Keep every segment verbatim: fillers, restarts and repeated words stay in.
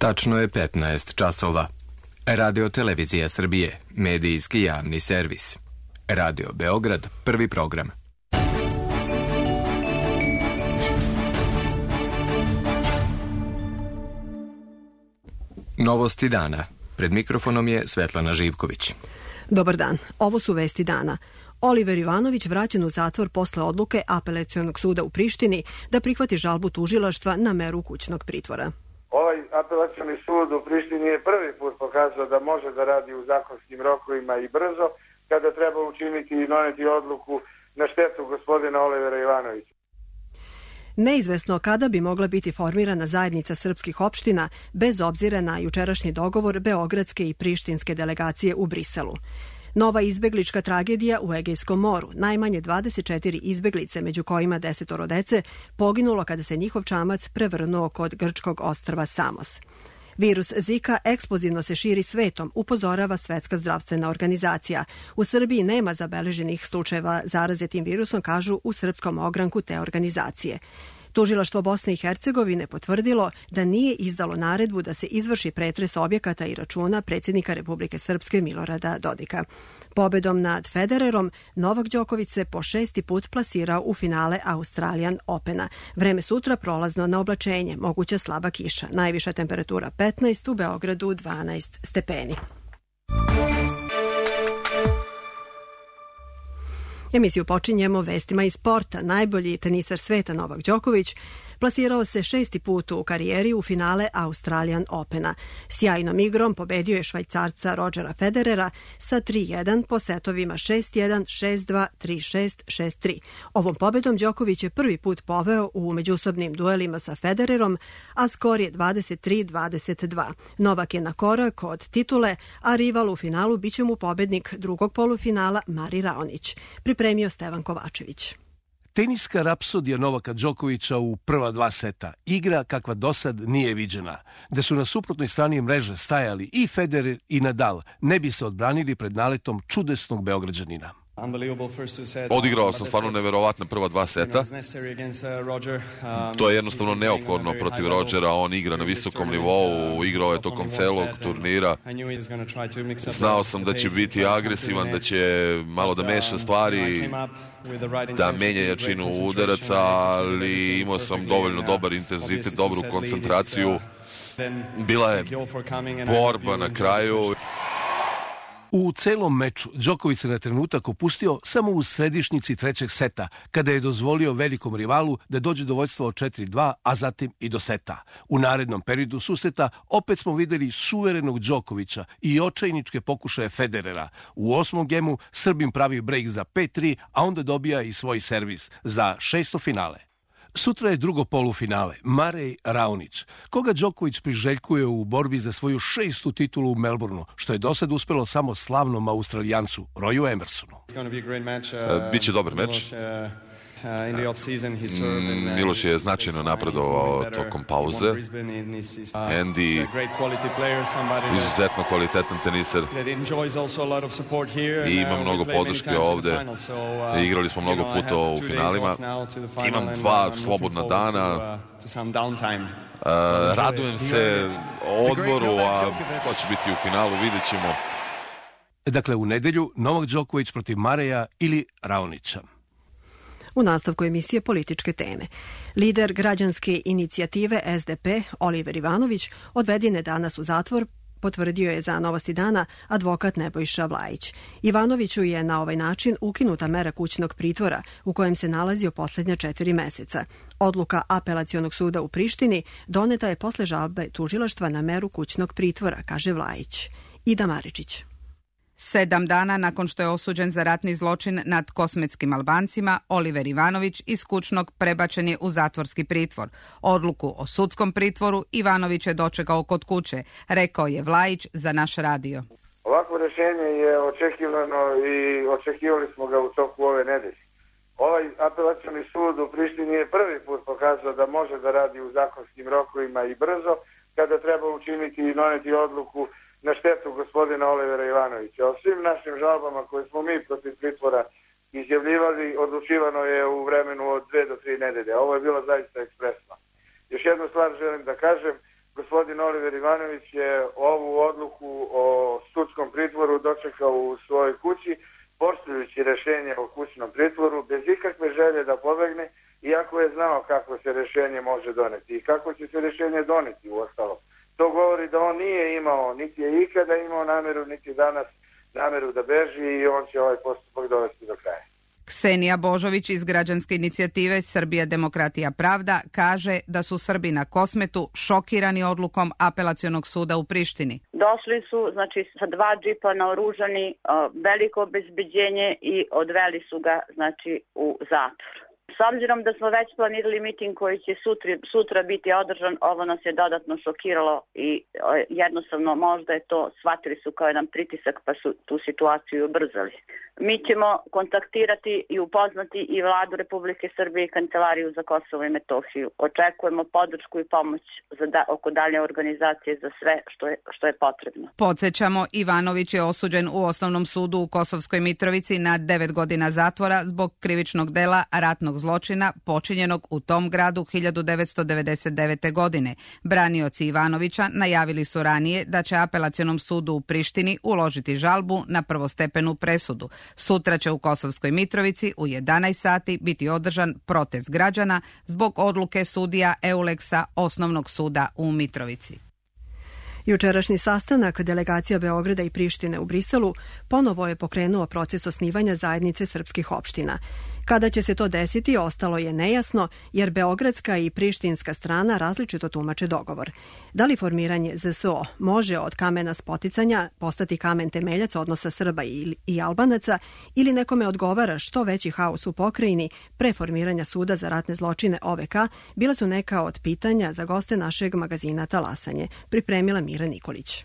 Tačno je petnaest časova. Radio Televizija Srbije, medijski javni servis. Radio Beograd, prvi program. Novosti dana. Pred mikrofonom je Svetlana Živković. Dobar dan. Ovo su vesti dana. Oliver Ivanović vraćen u zatvor posle odluke Apelacionog suda u Prištini da prihvati žalbu tužilaštva na meru kućnog pritvora. Ovaj apelacioni sud u Prištini je prvi put pokazao da može da radi u zakonskim rokovima i brzo, kada treba učiniti i doneti odluku na štetu gospodina Olivera Ivanovića. Neizvesno kada bi mogla biti formirana zajednica srpskih opština bez obzira na jučerašnji dogovor beogradske i prištinske delegacije u Briselu. Nova izbeglička tragedija u Egejskom moru. Najmanje dvadeset četiri izbeglice, među kojima desetoro dece, poginulo kada se njihov čamac prevrnuo kod grčkog ostrva Samos. Virus Zika eksplozivno se širi svetom, upozorava Svetska zdravstvena organizacija. U Srbiji nema zabeleženih slučajeva zaraze tim virusom, kažu u srpskom ogranku te organizacije. Tužilaštvo Bosne i Hercegovine potvrdilo da nije izdalo naredbu da se izvrši pretres objekata i računa predsjednika Republike Srpske Milorada Dodika. Pobedom nad Federerom, Novak Đoković se po šesti put plasirao u finale Australian Opena. Vreme sutra prolazno na oblačenje, moguća slaba kiša. Najviša temperatura petnaest, u Beogradu dvanaest stepeni. Emisiju počinjemo vestima iz sporta. Najbolji tenisar sveta Novak Đoković plasirao se šesti put u karijeri u finale Australian Opena. Sjajnom igrom pobedio je Švajcarca Rodgera Federera sa tri jedan po setovima šest jedan, šest dva, tri šest, šest tri. Ovom pobedom Đoković je prvi put poveo u međusobnim duelima sa Federerom, a skor je dvadeset tri dvadeset dva. Novak je na korak od titule, a rival u finalu biće mu pobednik drugog polufinala Mari Raonić. Pripremio Stevan Kovačević. Teniska rapsodija Novaka Đokovića u prva dva seta, igra kakva dosad nije viđena. Da su na suprotnoj strani mreže stajali i Federer i Nadal, ne bi se odbranili pred naletom čudesnog Beograđanina. Odigrao sam stvarno neverovatna prva dva seta. To je jednostavno neophodno protiv Rodgera. On igra na visokom nivou, igrao je tokom celog turnira. Znao sam da će biti agresivan, da će malo da meša stvari, da menja jačinu udaraca, ali imao sam dovoljno dobar intenzitet, dobru koncentraciju. Bila je borba na kraju. U celom meču Đoković se na trenutak opustio samo u središnici trećeg seta, kada je dozvolio velikom rivalu da dođe do vođstva od četiri dva, a zatim i do seta. U narednom periodu susreta opet smo videli suverenog Đokovića i očajničke pokušaje Federera. U osmom gemu Srbin pravi brejk za pet tri, a onda dobija i svoj servis za šesto finale. Sutra je drugo polufinale, Marej Raonić, koga Đoković priželjkuje u borbi za svoju šestu titulu u Melbourneu, što je do sad uspelo samo slavnom Australijancu, Royu Emersonu. Biće dobar meč. Miloš je značajno napredovao tokom pauze. Andy, izuzetno kvalitetan teniser. I ima mnogo podrške ovde. Igrali smo mnogo puta u finalima. Imam dva slobodna dana. Radujem se odmoru, a ko će biti u finalu, vidjet ćemo. Dakle, u nedelju Novak Đoković protiv Mareja ili Raonića. U nastavku emisije političke teme. Lider građanske inicijative S D P, Oliver Ivanović, odveden je danas u zatvor, potvrdio je za Novosti dana advokat Nebojša Vlajić. Ivanoviću je na ovaj način ukinuta mera kućnog pritvora u kojem se nalazio posljednja četiri meseca. Odluka Apelacionog suda u Prištini doneta je posle žalbe tužilaštva na meru kućnog pritvora, kaže Vlajić. Ida Maričić. Sedam dana nakon što je osuđen za ratni zločin nad kosmetskim Albancima, Oliver Ivanović iz kućnog prebačen je u zatvorski pritvor. Odluku o sudskom pritvoru Ivanović je dočekao kod kuće, rekao je Vlajić za naš radio. Ovako rješenje je očekivano i očekivali smo ga u toku ove nedelje. Ovaj apelacioni sud u Prištini je prvi put pokazao da može da radi u zakonskim rokovima i brzo, kada treba učiniti i doneti odluku na štetu gospodina Olivera Ivanovića. O svim našim žalbama koje smo mi protiv pritvora izjavljivali, odlučivano je u vremenu od dve do tri nedelje. Ovo je bilo zaista ekspresno. Još jednu stvar želim da kažem. Gospodin Oliver Ivanović je ovu odluku o sudskom pritvoru dočekao u svojoj kući, poštujući rešenje o kućnom pritvoru, bez ikakve želje da pobegne, iako je znao kako se rešenje može doneti i kako će se rešenje doneti u ostalom. To govori da on nije imao, niti je ikada imao nameru, niti danas nameru da beži i on će ovaj postupak dovesti do kraja. Ksenija Božović iz građanske inicijative Srbija demokratija pravda kaže da su Srbi na Kosmetu šokirani odlukom Apelacionog suda u Prištini. Došli su znači sa dva džipa naoružani, veliko obezbeđenje i odveli su ga znači u zatvor. S obzirom da smo već planirali miting koji će sutra, sutra biti održan, ovo nas je dodatno šokiralo i jednostavno možda je to, shvatili su kao jedan pritisak pa su tu situaciju ubrzali. Mi ćemo kontaktirati i upoznati i Vladu Republike Srbije i Kancelariju za Kosovo i Metohiju. Očekujemo podršku i pomoć za da, oko dalje organizacije za sve što je, što je potrebno. Podsjećamo, Ivanović je osuđen u Osnovnom sudu u Kosovskoj Mitrovici na devet godina zatvora zbog krivičnog dela ratnog zločina počinjenog u tom gradu hiljadu devetsto devedeset devete. godine. Branioci Ivanovića najavili su ranije da će Apelacionom sudu u Prištini uložiti žalbu na prvostepenu presudu. Sutra će u Kosovskoj Mitrovici u jedanaest sati biti održan protest građana zbog odluke sudija Euleksa Osnovnog suda u Mitrovici. Jučerašnji sastanak delegacija Beograda i Prištine u Briselu ponovo je pokrenuo proces osnivanja zajednice srpskih opština. Kada će se to desiti, ostalo je nejasno, jer beogradska i prištinska strana različito tumače dogovor. Da li formiranje Z S O može od kamena spoticanja postati kamen temeljac odnosa Srba i, i Albanaca, ili nekome odgovara što veći haos u pokrajini pre formiranja suda za ratne zločine O V K, bila su neka od pitanja za goste našeg magazina Talasanje. Pripremila Mira Nikolić.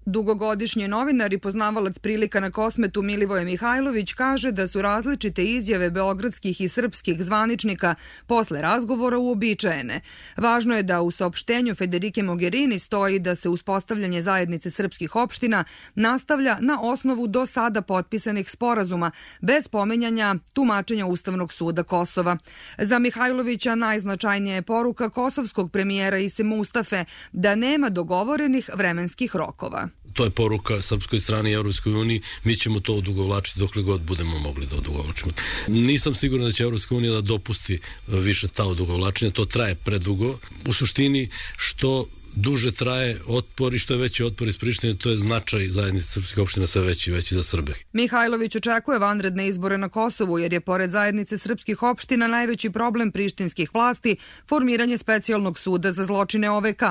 Dugogodišnji novinar i poznavalac prilika na Kosmetu Milivoje Mihajlović kaže da su različite izjave beogradskih i srpskih zvaničnika posle razgovora uobičajene. Važno je da u saopštenju Federike Mogherini stoji da se uspostavljanje zajednice srpskih opština nastavlja na osnovu do sada potpisanih sporazuma, bez pomenjanja tumačenja Ustavnog suda Kosova. Za Mihajlovića najznačajnija je poruka kosovskog premijera Ise Mustafe da nema dogovorenih vremenskih rokova. To je poruka srpskoj strani i Evropskoj uniji, mi ćemo to odugovlačiti dokle god budemo mogli da odugovlačimo. Nisam siguran da će Evropska unija da dopusti više ta odugovlačenja, to traje predugo. U suštini, što duže traje otpor i što je veći otpor iz Prištine, to je značaj zajednice srpskih opština sve veći i veći za Srbe. Mihajlović očekuje vanredne izbore na Kosovu, jer je pored zajednice srpskih opština najveći problem prištinskih vlasti formiranje specijalnog suda za zločine O V K.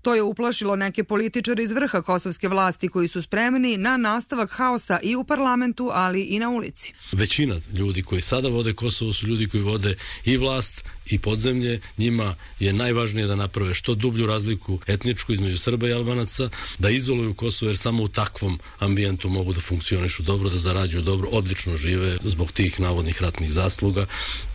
To je uplašilo neke političare iz vrha kosovske vlasti koji su spremni na nastavak haosa i u parlamentu, ali i na ulici. Većina ljudi koji sada vode Kosovo su ljudi koji vode i vlast i podzemlje. Njima je najvažnije da naprave što dublju razliku etničku između Srba i Albanaca, da izoluju Kosovo, jer samo u takvom ambijentu mogu da funkcionišu dobro, da zarađuju dobro, odlično žive zbog tih navodnih ratnih zasluga.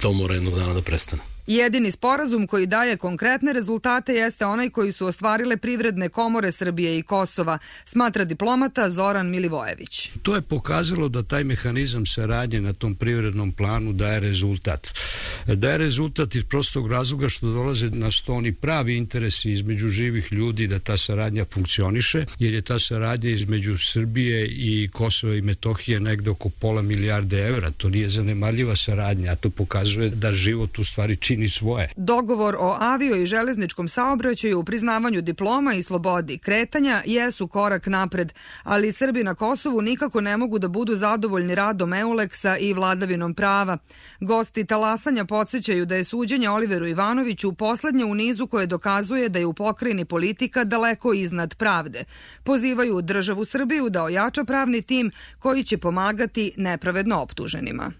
To mora jednog dana da prestane. Jedini sporazum koji daje konkretne rezultate jeste onaj koji su ostvarile privredne komore Srbije i Kosova, smatra diplomata Zoran Milivojević. To je pokazalo da taj mehanizam saradnje na tom privrednom planu daje rezultat. Daje rezultat iz prostog razloga što dolaze na sto oni pravi interesi između živih ljudi da ta saradnja funkcioniše, jer je ta saradnja između Srbije i Kosova i Metohije negde oko pola milijarde evra. To nije zanemarljiva saradnja, a to pokazuje da život u stvari čini svoje. Dogovor o avio i železničkom saobraćaju, u priznavanju diploma i slobodi kretanja jesu korak napred, ali Srbi na Kosovu nikako ne mogu da budu zadovoljni radom Euleksa i vladavinom prava. Gosti Talasanja podsjećaju da je suđenje Oliveru Ivanoviću poslednje u nizu koje dokazuje da je u pokrajini politika daleko iznad pravde. Pozivaju državu Srbiju da ojača pravni tim koji će pomagati nepravedno optuženima.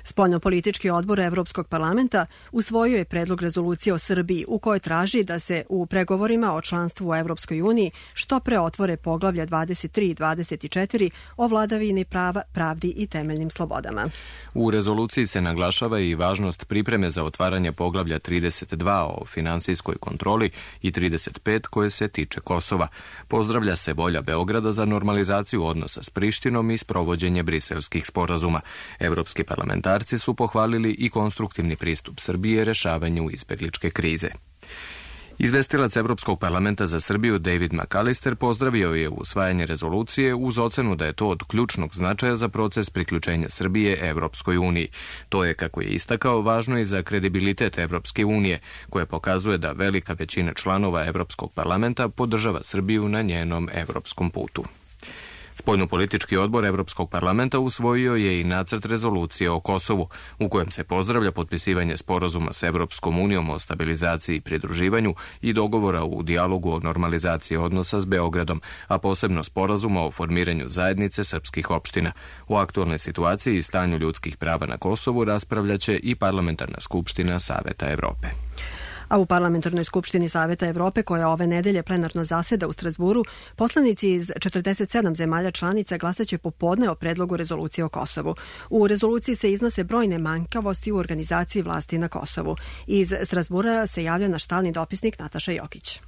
Spoljnopolitički odbor Evropskog parlamenta usvojio je predlog rezolucije o Srbiji u kojoj traži da se u pregovorima o članstvu u Evropskoj uniji što pre otvore poglavlja dvadeset tri i dvadeset četiri o vladavini prava, pravdi i temeljnim slobodama. U rezoluciji se naglašava i važnost pripreme za otvaranje poglavlja trideset dva o finansijskoj kontroli i trideset pet koje se tiče Kosova. Pozdravlja se volja Beograda za normalizaciju odnosa s Prištinom i sprovođenje briselskih sporazuma. Evropski parlamentar su pohvalili i konstruktivni pristup Srbije rešavanju izbegličke krize. Izvestilac Evropskog parlamenta za Srbiju David McAllister pozdravio je usvajanje rezolucije uz ocenu da je to od ključnog značaja za proces priključenja Srbije Evropskoj uniji. To je, kako je istakao, važno i za kredibilitet Evropske unije, koja pokazuje da velika većina članova Evropskog parlamenta podržava Srbiju na njenom evropskom putu. Spoljnopolitički odbor Evropskog parlamenta usvojio je i nacrt rezolucije o Kosovu, u kojem se pozdravlja potpisivanje sporazuma s Evropskom unijom o stabilizaciji i pridruživanju i dogovora u dijalogu o normalizaciji odnosa s Beogradom, a posebno sporazuma o formiranju zajednice srpskih opština. O aktualnoj situaciji i stanju ljudskih prava na Kosovu raspravljaće i Parlamentarna skupština Saveta Evrope. A u Parlamentarnoj skupštini Saveta Evrope, koja ove nedelje plenarno zaseda u Strazburu, poslanici iz četrdeset sedam zemalja članica glasaće popodne o predlogu rezolucije o Kosovu. U rezoluciji se iznose brojne manjkavosti u organizaciji vlasti na Kosovu. Iz Strazbura se javlja naš stalni dopisnik Nataša Jokić.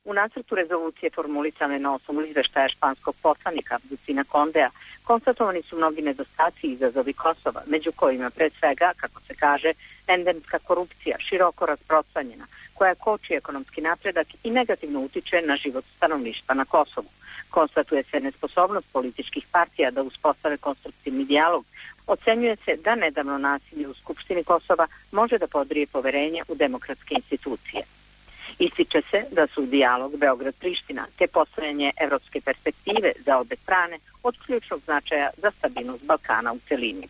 U nacrtu rezolucije formulisane na osnovu izveštaja španskog poslanika Bucina Kondea konstatovani su mnogi nedostaci i izazovi Kosova, među kojima pre svega, kako se kaže, endemska korupcija, široko rasprostranjena, koja koči ekonomski napredak i negativno utiče na život stanovništva na Kosovu. Konstatuje se nesposobnost političkih partija da uspostave konstruktivni dijalog. Ocenjuje se da nedavno nasilje u Skupštini Kosova može da podrije poverenje u demokratske institucije. Ističe se da su dijalog Beograd-Priština te postojanje evropske perspektive za obe strane od ključnog značaja za stabilnost Balkana u celini.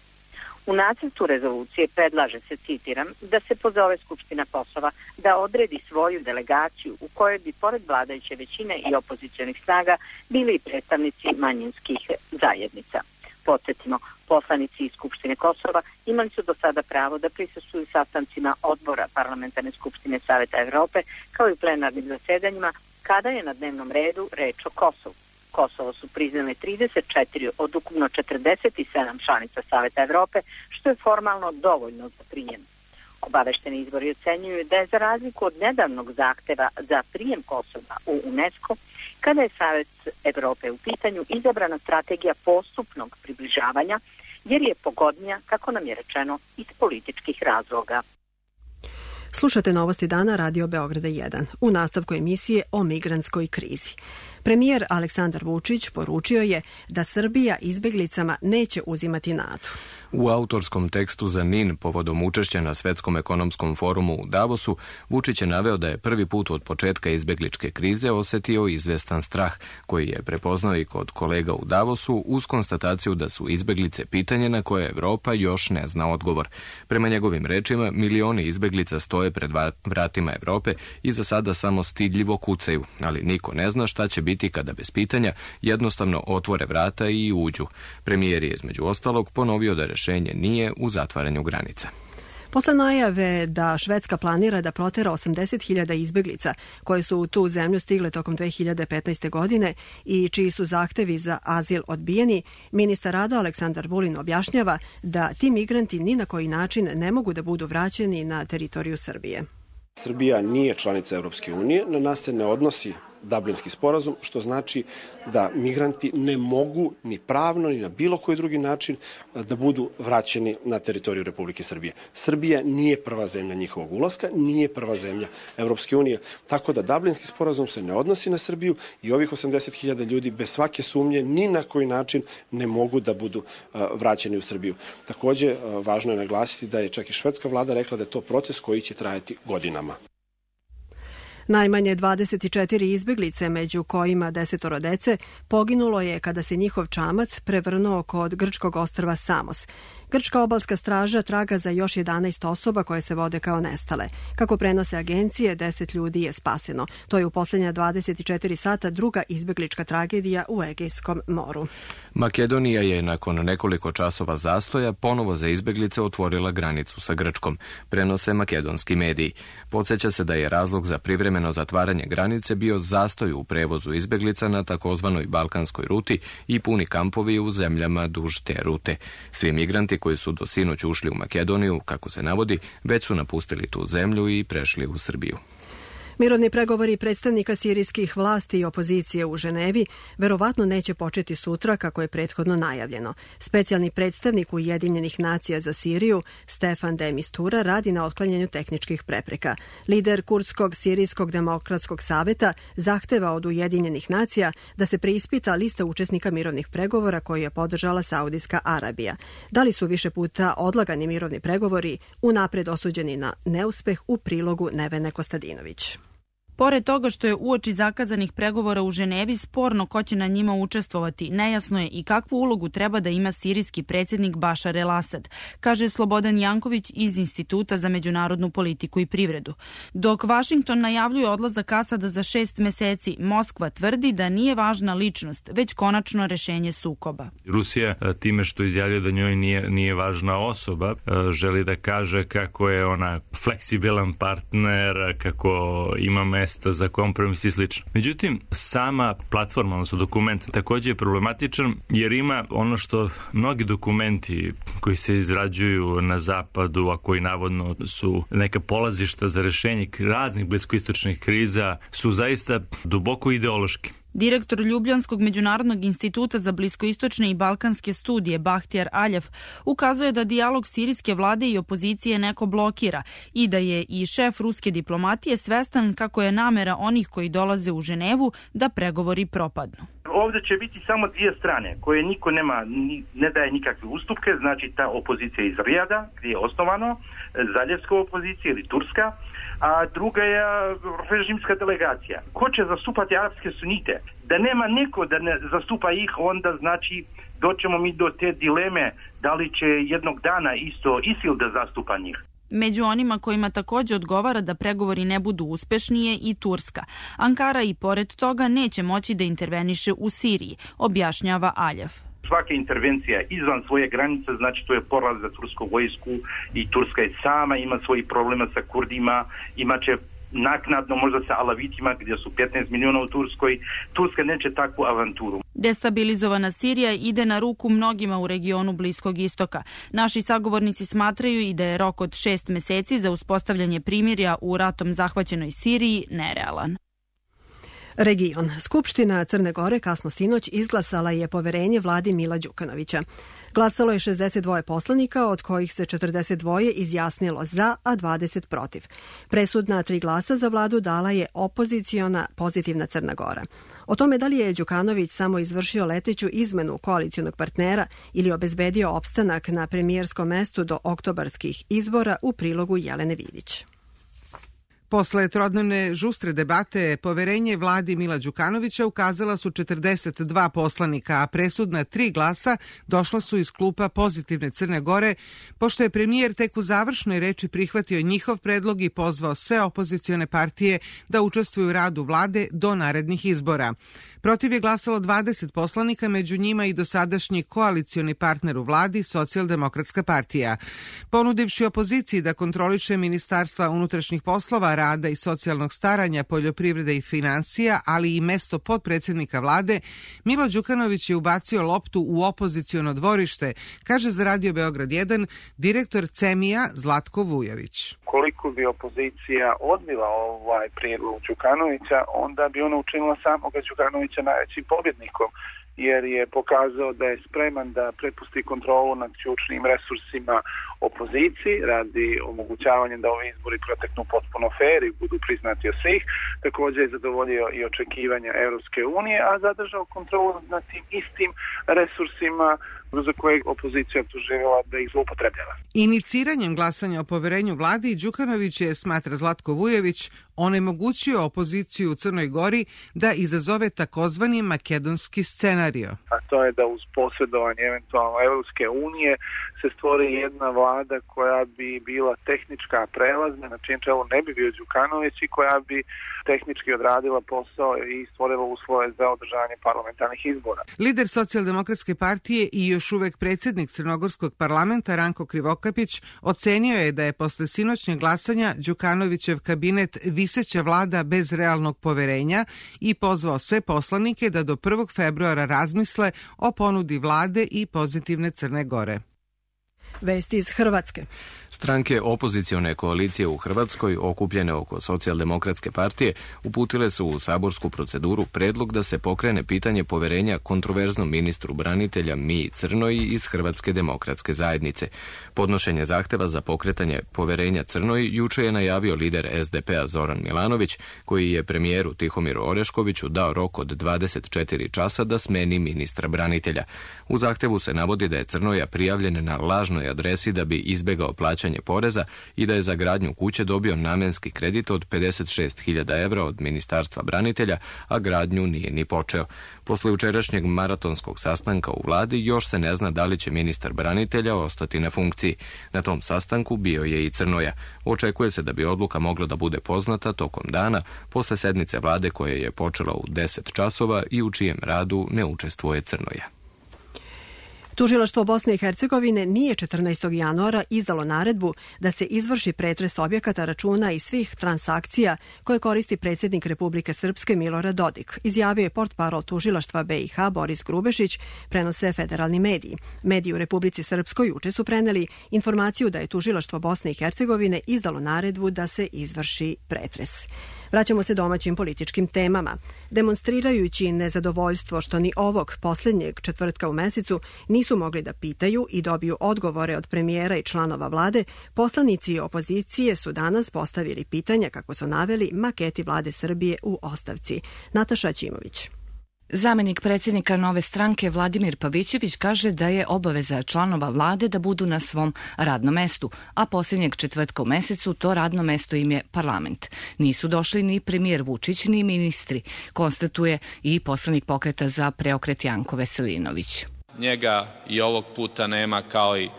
U nacrtu rezolucije predlaže se, citiram, da se pozove Skupština Kosova da odredi svoju delegaciju u kojoj bi pored vladajuće većine i opozicionih snaga bili i predstavnici manjinskih zajednica. Podsjetimo, poslanici iz Skupštine Kosova imali su do sada pravo da prisustvuju sastancima odbora Parlamentarne skupštine Saveta Evrope kao i plenarnim zasedanjima kada je na dnevnom redu reč o Kosovu. Kosovo su priznale trideset četiri od ukupno četrdeset sedam članica Saveta Evrope, što je formalno dovoljno za prijem. Obavešteni izvori ocenjuju da je za razliku od nedavnog zahteva za prijem Kosova u UNESCO, kada je Savet Evrope u pitanju, izabrana strategija postupnog približavanja, jer je pogodnija, kako nam je rečeno, iz političkih razloga. Slušate Novosti dana Radio Beograda jedan. U nastavku emisije o migrantskoj krizi. Premijer Aleksandar Vučić poručio je da Srbija izbeglicama neće uzimati nadu. U autorskom tekstu za N I N povodom učešća na Svetskom ekonomskom forumu u Davosu, Vučić je naveo da je prvi put od početka izbegličke krize osetio izvestan strah, koji je prepoznao i kod kolega u Davosu uz konstataciju da su izbeglice pitanje na koje Evropa još ne zna odgovor. Prema njegovim rečima, milioni izbeglica stoje pred vratima Evrope i za sada samo stidljivo kucaju, ali niko ne zna šta će biti kada bez pitanja jednostavno otvore vrata i uđu. Premijer je između ostalog ponovio da rešenje nije u zatvaranju granica. Posle najave da Švedska planira da protera osamdeset hiljada izbeglica koje su u tu zemlju stigle tokom dve hiljade petnaeste. godine i čiji su zahtevi za azil odbijeni, ministar rada Aleksandar Vulin objašnjava da ti migranti ni na koji način ne mogu da budu vraćeni na teritoriju Srbije. Srbija nije članica Evropske unije, na nas se ne odnosi Dublinski sporazum, što znači da migranti ne mogu ni pravno ni na bilo koji drugi način da budu vraćeni na teritoriju Republike Srbije. Srbija nije prva zemlja njihovog ulaska, nije prva zemlja Evropske unije, tako da Dublinski sporazum se ne odnosi na Srbiju i ovih osamdeset hiljada ljudi bez svake sumnje ni na koji način ne mogu da budu vraćeni u Srbiju. Takođe, važno je naglasiti da je čak i švedska vlada rekla da je to proces koji će trajati godinama. Najmanje dvadeset četiri izbeglice, među kojima desetoro dece, poginulo je kada se njihov čamac prevrnuo kod grčkog ostrva Samos. Grčka obalska straža traga za još jedanaest osoba koje se vode kao nestale. Kako prenose agencije, deset ljudi je spaseno. To je u posljednja dvadeset četiri sata druga izbeglička tragedija u Egejskom moru. Makedonija je nakon nekoliko časova zastoja ponovo za izbeglice otvorila granicu sa Grčkom, prenose makedonski mediji. Podseća se da je razlog za privremeno zatvaranje granice bio zastoj u prevozu izbeglica na takozvanoj balkanskoj ruti i puni kampovi u zemljama duž te rute. Svi migranti koji su do sinoć ušli u Makedoniju, kako se navodi, već su napustili tu zemlju i prešli u Srbiju. Mirovni pregovori predstavnika sirijskih vlasti i opozicije u Ženevi verovatno neće početi sutra kako je prethodno najavljeno. Specijalni predstavnik Ujedinjenih nacija za Siriju, Stefan de Mistura, radi na otklanjanju tehničkih prepreka. Lider Kurdskog sirijskog demokratskog saveta zahteva od Ujedinjenih nacija da se preispita lista učesnika mirovnih pregovora koju je podržala Saudijska Arabija. Da li su više puta odlagani mirovni pregovori unapred osuđeni na neuspeh, u prilogu Nevene Kostadinović. Pored toga što je uoči zakazanih pregovora u Ženevi sporno ko će na njima učestvovati, nejasno je i kakvu ulogu treba da ima sirijski predsjednik Bašar el-Asad, kaže Slobodan Janković iz Instituta za međunarodnu politiku i privredu. Dok Vašington najavljuje odlazak Asada za šest meseci, Moskva tvrdi da nije važna ličnost, već konačno rešenje sukoba. Rusija time što izjavljuje da njoj nije, nije važna osoba, želi da kaže kako je ona fleksibilan partner, kako ima mesta za kompromis i slično. Međutim, sama platforma, odnosno dokument, također je problematičan jer ima ono što mnogi dokumenti koji se izrađuju na zapadu, a koji navodno su neka polazišta za rešenje raznih bliskoistočnih kriza, su zaista duboko ideološki. Direktor Ljubljanskog međunarodnog instituta za bliskoistočne i balkanske studije Bahtijar Aljev ukazuje da dijalog sirijske vlade i opozicije neko blokira i da je i šef ruske diplomatije svestan kako je namera onih koji dolaze u Ženevu da pregovori propadnu. Ovdje će biti samo dvije strane koje niko nema, ne daje nikakve ustupke, znači ta opozicija iz Rijada gdje je osnovano, zaljevska opozicija ili turska, a druga je režimska delegacija. Ko će zastupati arapske sunite? Da nema neko da ne zastupa ih, onda znači doćemo mi do te dileme da li će jednog dana isto ISIL da zastupa njih. Među onima kojima također odgovara da pregovori ne budu uspešni je i Turska. Ankara i pored toga neće moći da interveniše u Siriji, objašnjava Aljev. Svaka intervencija izvan svoje granice, znači to je poraz za tursku vojsku i Turska je sama ima svojih problema sa Kurdima, imaće naknadno možda sa Alavitima gdje su petnaest miliona u Turskoj. Turska neće takvu avanturu. Destabilizovana Sirija ide na ruku mnogima u regionu Bliskog istoka. Naši sagovornici smatraju i da je rok od šest meseci za uspostavljanje primirja u ratom zahvaćenoj Siriji nerealan. Region. Skupština Crne Gore kasno sinoć izglasala je poverenje vladi Mila Đukanovića. Glasalo je šezdeset dva poslanika, od kojih se četrdeset dva izjasnilo za, a dvadeset protiv. Presudna tri glasa za vladu dala je opoziciona Pozitivna Crna Gora. O tome da li je Đukanović samo izvršio leteću izmenu koalicionog partnera ili obezbedio opstanak na premijerskom mestu do oktobarskih izbora, u prilogu Jelene Vidić. Posle trodnevne žustre debate, poverenje vladi Mila Đukanovića ukazala su četrdeset dva poslanika, a presudna tri glasa došla su iz klupa Pozitivne Crne Gore, pošto je premijer tek u završnoj reči prihvatio njihov predlog i pozvao sve opozicione partije da učestvuju u radu vlade do narednih izbora. Protiv je glasalo dvadeset poslanika, među njima i dosadašnji koalicioni partner u vladi, Socijaldemokratska partija. Ponudivši opoziciji da kontroliše Ministarstva unutrašnjih poslova, rada i socijalnog staranja, poljoprivrede i financija, ali i mesto potpredsjednika vlade, Milo Đukanović je ubacio loptu u opoziciono dvorište, kaže za Radio Beograd jedan direktor Cemija Zlatko Vujović. Koliko bi opozicija odbila ovaj prijedlog Đukanovića, onda bi ona učinila samoga Đukanovića najvećim pobjednikom, jer je pokazao da je spreman da prepusti kontrolu nad ključnim resursima opoziciji radi omogućavanja da ovi izbori proteknu potpuno fair i budu priznati od svih. Također je zadovoljio i očekivanja Europske unije, a zadržao kontrolu nad tim istim resursima za koje opozicija optuživala da ih zloupotrebljava. Iniciranjem glasanja o poverenju vladi, Đukanović je, smatra Zlatko Vujović, onemogućio opoziciju u Crnoj Gori da izazove takozvani makedonski scenario. A to je da uz posredovanje eventualno Europske unije se stvori jedna vlada koja bi bila tehnička prelazna, na čijem čelu ne bi bio Đukanović i koja bi tehnički odradila posao i stvorila uslove za održavanje parlamentarnih izbora. Lider Socijaldemokratske partije i još uvek predsjednik Crnogorskog parlamenta Ranko Krivokapić ocenio je da je posle sinoćnjeg glasanja Đukanovićev kabinet viseća vlada bez realnog poverenja i pozvao sve poslanike da do prvog februara razmisle o ponudi vlade i Pozitivne Crne Gore. Vesti iz Hrvatske. Stranke opozicione koalicije u Hrvatskoj, okupljene oko Socijaldemokratske partije, uputile su u saborsku proceduru predlog da se pokrene pitanje poverenja kontroverznom ministru branitelja Miji Crnoji iz Hrvatske demokratske zajednice. Podnošenje zahteva za pokretanje poverenja Crnoji juče je najavio lider es de pe a Zoran Milanović, koji je premijeru Tihomiru Oreškoviću dao rok od dvadeset četiri časa da smeni ministra branitelja. U zahtevu se navodi da je Crnoja prijavljen na lažnoj adresi da bi izbegao plaćanje poreza i da je za gradnju kuće dobio namenski kredit od pedeset šest hiljada evra od Ministarstva branitelja, a gradnju nije ni počeo. Posle jučerašnjeg maratonskog sastanka u vladi još se ne zna da li će ministar branitelja ostati na funkciji. Na tom sastanku bio je i Crnoja. Očekuje se da bi odluka mogla da bude poznata tokom dana posle sednice vlade koja je počela u deset časova i u čijem radu ne učestvuje Crnoja. Tužilaštvo Bosne i Hercegovine nije četrnaestog januara izdalo naredbu da se izvrši pretres objekata, računa i svih transakcija koje koristi predsjednik Republike Srpske Milorad Dodik, izjavio je portparol tužilaštva be i ha Boris Grubešić, prenose federalni mediji. Mediji u Republici Srpskoj juče su preneli informaciju da je tužilaštvo Bosne i Hercegovine izdalo naredbu da se izvrši pretres. Vraćamo se domaćim političkim temama. Demonstrirajući nezadovoljstvo što ni ovog posljednjeg četvrtka u mesecu nisu mogli da pitaju i dobiju odgovore od premijera i članova vlade, poslanici opozicije su danas postavili pitanja, kako su naveli, maketi vlade Srbije u ostavci. Nataša Ćimović. Zamenik predsjednika Nove stranke Vladimir Pavićević kaže da je obaveza članova vlade da budu na svom radnom mestu, a posljednjeg četvrtka u mesecu to radno mesto im je parlament. Nisu došli ni premijer Vučić ni ministri, konstatuje i poslanik Pokreta za preokret Janko Veselinović. Njega i ovog puta nema kao i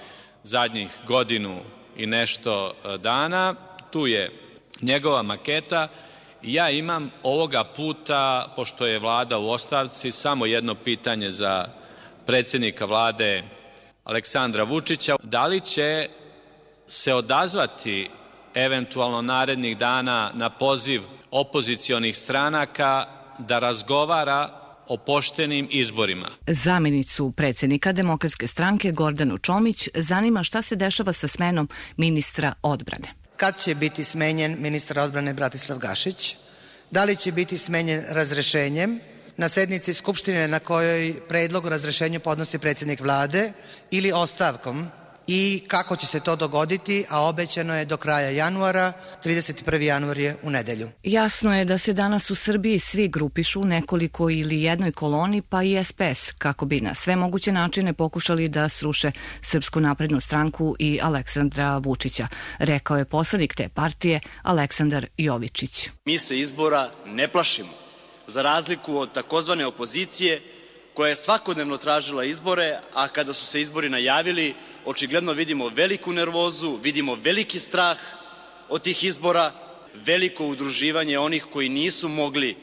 zadnjih godinu i nešto dana. Tu je njegova maketa. Ja imam ovoga puta, pošto je vlada u ostavci, samo jedno pitanje za predsjednika vlade Aleksandra Vučića. Da li će se odazvati eventualno narednih dana na poziv opozicionih stranaka da razgovara o poštenim izborima? Zamjenicu predsjednika Demokratske stranke Gordanu Čomić zanima šta se dešava sa smenom ministra odbrane. Kad će biti smenjen ministar odbrane Bratislav Gašić? Da li će biti smenjen razrešenjem na sednici Skupštine na kojoj predlog o razrešenju podnosi predsjednik vlade ili ostavkom? I kako će se to dogoditi, a obećano je do kraja januara, trideset prvi januar je u nedelju. Jasno je da se danas u Srbiji svi grupišu nekoliko ili jednoj koloni, pa i es pe es, kako bi na sve moguće načine pokušali da sruše Srpsku naprednu stranku i Aleksandra Vučića, rekao je poslanik te partije Aleksandar Jovičić. Mi se izbora ne plašimo, za razliku od takozvane opozicije koja je svakodnevno tražila izbore, a kada su se izbori najavili, očigledno vidimo veliku nervozu, vidimo veliki strah od tih izbora, veliko udruživanje onih koji nisu mogli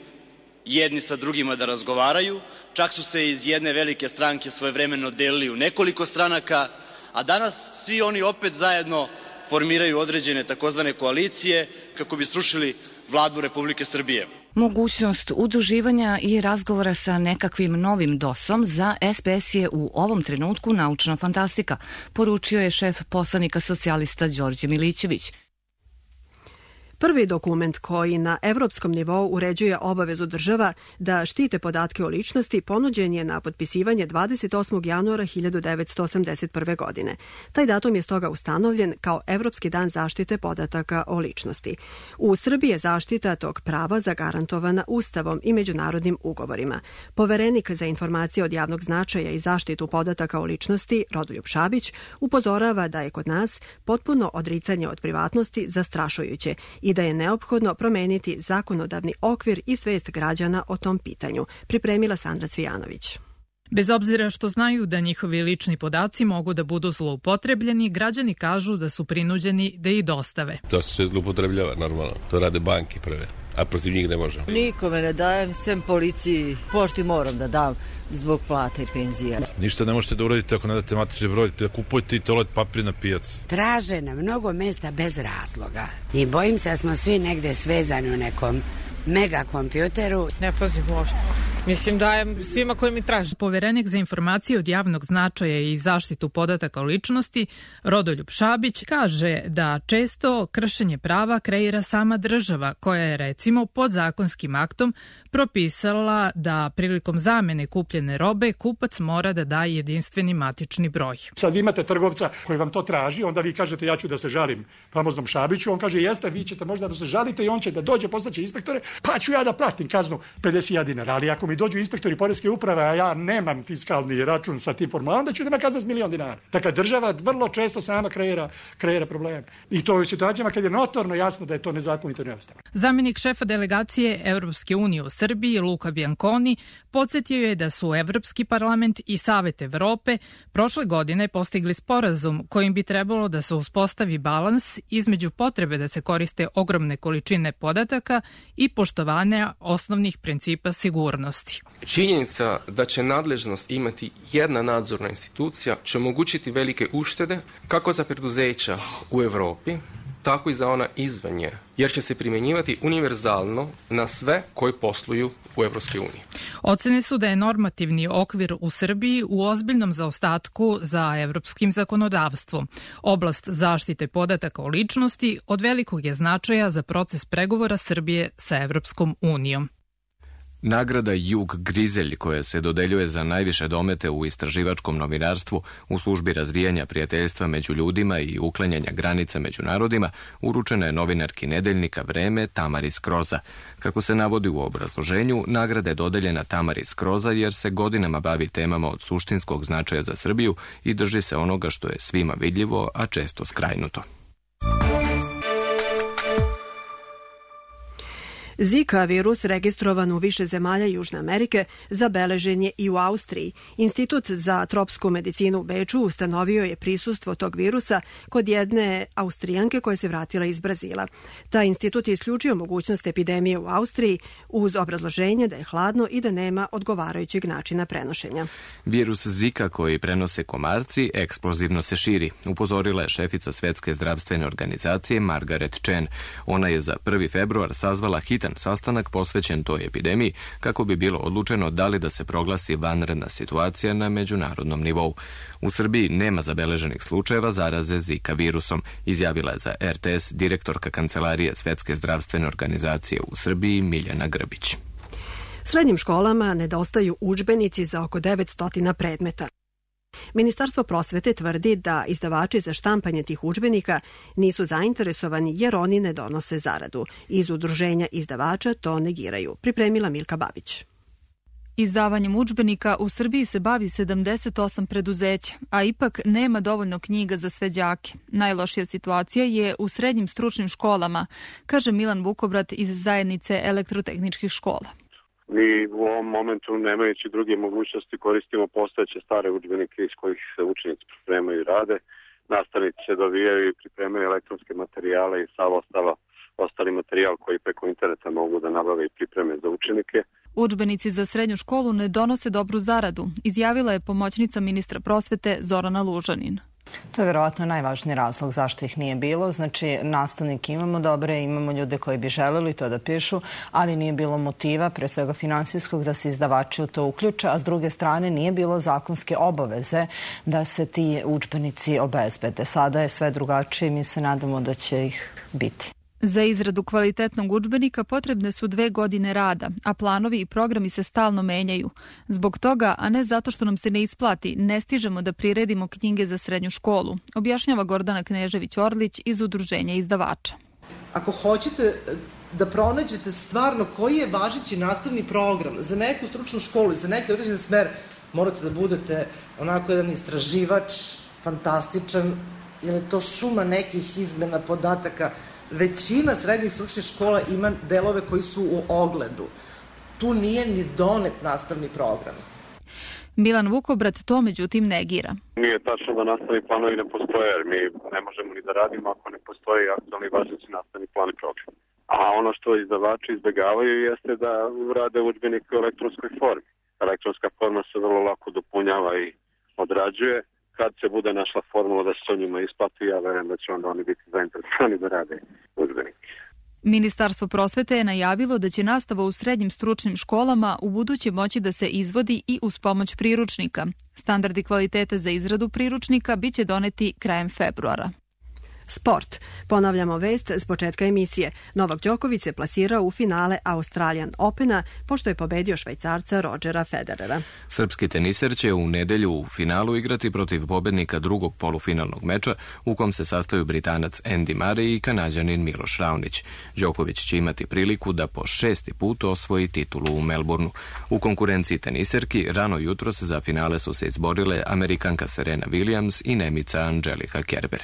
jedni sa drugima da razgovaraju, čak su se iz jedne velike stranke svojevremeno delili u nekoliko stranaka, a danas svi oni opet zajedno formiraju određene takozvane koalicije kako bi srušili vladu Republike Srbije. Mogućnost udruživanja i razgovora sa nekakvim novim dosom za es pe es je u ovom trenutku naučna fantastika, poručio je šef poslanika socijalista Đorđe Milićević. Prvi dokument koji na evropskom nivou uređuje obavezu država da štite podatke o ličnosti ponuđen je na potpisivanje dvadeset osmog januara hiljadu devetsto osamdeset prve. godine. Taj datum je stoga ustanovljen kao Evropski dan zaštite podataka o ličnosti. U Srbiji je zaštita tog prava zagarantovana Ustavom i međunarodnim ugovorima. Poverenik za informacije od javnog značaja i zaštitu podataka o ličnosti, Rodoljub Šabić, upozorava da je kod nas potpuno odricanje od privatnosti zastrašujuće i da je neophodno promeniti zakonodavni okvir i svest građana o tom pitanju, pripremila Sandra Cvijanović. Bez obzira što znaju da njihovi lični podaci mogu da budu zloupotrebljeni, građani kažu da su prinuđeni da ih dostave. To se sve zloupotrebljava, normalno. To rade banke prve, a protiv njih ne možemo. Nikome ne dajem, sem policiji. Pošti moram da dam zbog plate i penzija. Ništa ne možete da uradite ako ne date matični broj, da kupujete i toalet papir na pijacu. Traže na mnogo mesta bez razloga. I bojim se da smo svi negde svezani u nekom mega kompjuteru. Ne pazim uopšte. Mislim, dajem svima koji mi traže. Poverenik za informacije od javnog značaja i zaštitu podataka o ličnosti, Rodoljub Šabić, kaže da često kršenje prava kreira sama država, koja je recimo pod zakonskim aktom propisala da prilikom zamene kupljene robe kupac mora da daje jedinstveni matični broj. Sad vi imate trgovca koji vam to traži, onda vi kažete ja ću da se žalim famoznom Šabiću, on kaže jeste, vi ćete možda da se žalite i on će da dođe, poslaće inspektore, pa ću ja da platim kaznu pedeset hiljada dinara, ali ako mi dođu inspektori poreske uprave, a ja nemam fiskalni račun sa tim formulom, onda ću da me kazna s milion dinara. Dakle, država vrlo često sama kreira, kreira probleme. I to u situacijama kad je notorno jasno da je to nezakonito i neustavno. Zamenik šefa delegacije Evropske unije u Srbiji, Luka Bianconi, podsjetio je da su Evropski parlament i Savet Evrope prošle godine postigli sporazum kojim bi trebalo da se uspostavi balans između potrebe da se koriste ogromne količine podataka i poštovanja osnovnih principa sigurnosti. Činjenica da će nadležnost imati jedna nadzorna institucija će omogućiti velike uštede kako za preduzeća u Evropi, tako i za ona izvan nje, jer će se primjenjivati univerzalno na sve koji posluju u Evropskoj uniji. Ocene su da je normativni okvir u Srbiji u ozbiljnom zaostatku za evropskim zakonodavstvom. Oblast zaštite podataka o ličnosti od velikog je značaja za proces pregovora Srbije sa Evropskom unijom. Nagrada Jug Grizelj, koja se dodeljuje za najviše domete u istraživačkom novinarstvu u službi razvijanja prijateljstva među ljudima i uklanjanja granica među narodima, uručena je novinarki nedeljnika Vreme Tamari Skroza. Kako se navodi u obrazloženju, nagrada je dodeljena Tamari Skroza jer se godinama bavi temama od suštinskog značaja za Srbiju i drži se onoga što je svima vidljivo, a često skrajnuto. Zika virus registrovan u više zemalja Južne Amerike zabeležen je i u Austriji. Institut za tropsku medicinu u Beču ustanovio je prisustvo tog virusa kod jedne Austrijanke koja se vratila iz Brazila. Taj institut je isključio mogućnost epidemije u Austriji uz obrazloženje da je hladno i da nema odgovarajućeg načina prenošenja. Virus Zika koji prenose komarci eksplozivno se širi, upozorila je šefica Svetske zdravstvene organizacije Margaret Chan. Ona je za prvi februar sazvala hitan sastanak posvećen toj epidemiji kako bi bilo odlučeno da li da se proglasi vanredna situacija na međunarodnom nivou. U Srbiji nema zabeleženih slučajeva zaraze Zika virusom, izjavila je za R T S direktorka Kancelarije Svetske zdravstvene organizacije u Srbiji Miljana Grbić. Srednjim školama nedostaju udžbenici za oko devetsto predmeta. Ministarstvo prosvete tvrdi da izdavači za štampanje tih udžbenika nisu zainteresovani jer oni ne donose zaradu. Iz udruženja izdavača to negiraju. Pripremila Milka Babić. Izdavanjem udžbenika u Srbiji se bavi sedamdeset osam preduzeća, a ipak nema dovoljno knjiga za sve đake. Najlošija situacija je u srednjim stručnim školama, kaže Milan Vukobrat iz zajednice elektrotehničkih škola. Mi u ovom momentu, nemajući druge mogućnosti, koristimo postojeće stare udžbenike iz kojih se učenici pripremaju i rade. Nastavnici se dovijaju i pripremaju elektronske materijale i sav ostalo, ostali materijal koji preko interneta mogu da nabave i pripreme za učenike. Udžbenici za srednju školu ne donose dobru zaradu, izjavila je pomoćnica ministra prosvete Zorana Lužanin. To je verovatno najvažniji razlog zašto ih nije bilo. Znači, nastavnike imamo dobre, imamo ljude koji bi želeli to da pišu, ali nije bilo motiva, pre svega finansijskog, da se izdavači u to uključe, a s druge strane nije bilo zakonske obaveze da se ti udžbenici obezbede. Sada je sve drugačije i mi se nadamo da će ih biti. Za izradu kvalitetnog udžbenika potrebne su dve godine rada, a planovi i programi se stalno menjaju. Zbog toga, a ne zato što nam se ne isplati, ne stižemo da priredimo knjige za srednju školu, objašnjava Gordana Knežević-Orlić iz Udruženja izdavača. Ako hoćete da pronađete stvarno koji je važeći nastavni program za neku stručnu školu i za neki određen smer, morate da budete onako jedan istraživač, fantastičan, jer je to šuma nekih izmena podataka. Većina srednjih stručnih škola ima delove koji su u ogledu. Tu nije ni donet nastavni program. Milan Vukobrat to međutim negira. Nije tačno da nastavni planovi ne postoje, jer mi ne možemo ni da radimo ako ne postoji aktualni važeći nastavni plan i program. A ono što izdavači izbegavaju jeste da rade udžbenike u elektronskoj formi. Elektronska forma se vrlo lako dopunjava i odrađuje. Kad se bude našla formula da se to njima isplati, ja verujem da će onda oni biti zainteresovani da rade udžbenike. Ministarstvo prosvete je najavilo da će nastava u srednjim stručnim školama u buduće moći da se izvodi i uz pomoć priručnika. Standardi kvalitete za izradu priručnika biće doneti krajem februara. Sport. Ponavljamo vest s početka emisije. Novak Đoković se plasirao u finale Australian Opena pošto je pobedio Švajcarca Rodgera Federera. Srpski teniser će u nedelju u finalu igrati protiv pobednika drugog polufinalnog meča u kom se sastaju Britanac Andy Murray i Kanađanin Miloš Raonić. Đoković će imati priliku da po šesti put osvoji titulu u Melbourneu. U konkurenciji teniserki rano jutros za finale su se izborile Amerikanka Serena Williams i Nemica Angelika Kerber.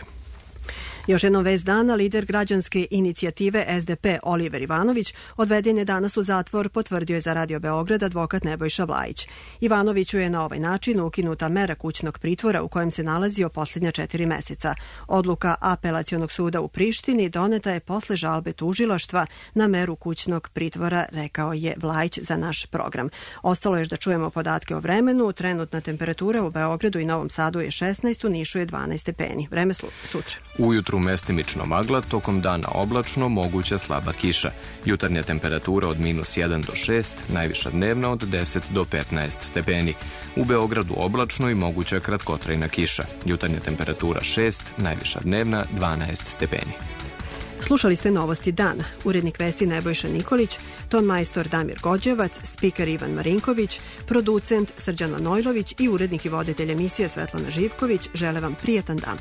Još jednom vest dana, lider građanske inicijative S D P Oliver Ivanović odveden je danas u zatvor, potvrdio je za Radio Beograd advokat Nebojša Vlajić. Ivanoviću je na ovaj način ukinuta mera kućnog pritvora u kojem se nalazio posljednja četiri meseca. Odluka Apelacionog suda u Prištini doneta je posle žalbe tužilaštva na meru kućnog pritvora, rekao je Vlajić za naš program. Ostalo je da čujemo podatke o vremenu. Trenutna temperatura u Beogradu i Novom Sadu je šesnaest, u Nišu je dvanaest stepeni. Vreme sutra. Ujutru mestimično magla, tokom dana oblačno, moguća slaba kiša. Jutarnja temperatura od minus jedan do šest, najviša dnevna od deset do petnaest stepeni. U Beogradu oblačno i moguća kratkotrajna kiša. Jutarnja temperatura šest, najviša dnevna dvanaest stepeni. Slušali ste Novosti dana. Urednik vesti Nebojša Nikolić, ton majstor Damir Gođevac, spiker Ivan Marinković, producent Srđan Manojlović i urednik i voditelj emisije Svetlana Živković žele vam prijetan dan.